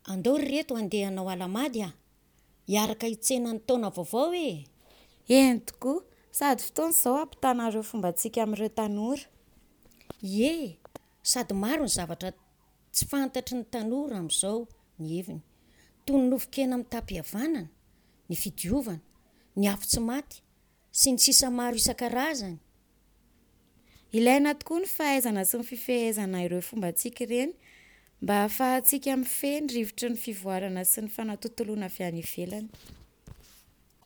Andao ry reto handeha hanao Alahamady a! Hiaraka hitsena ny taona vaovao e! Eny tokoa, sady fotoana izao hampitana ireo fombantsika amin'ireo tanora. Ie, sady maro ny zavatra tsy fantatry ny tanora amin'izao ny heviny, toy ny nofon-kena mitam-pihavanana, ny fidiovana, ny afo tsy maty, sy ny sisa maro isan-karazany. Ilaina tokoa ny fahaizana sy ny fifehezana ireo fombantsika ireny mba hahafahantsika mifehy ny rivotry ny fivoarana sy ny fanatontoloana avy any ivelany.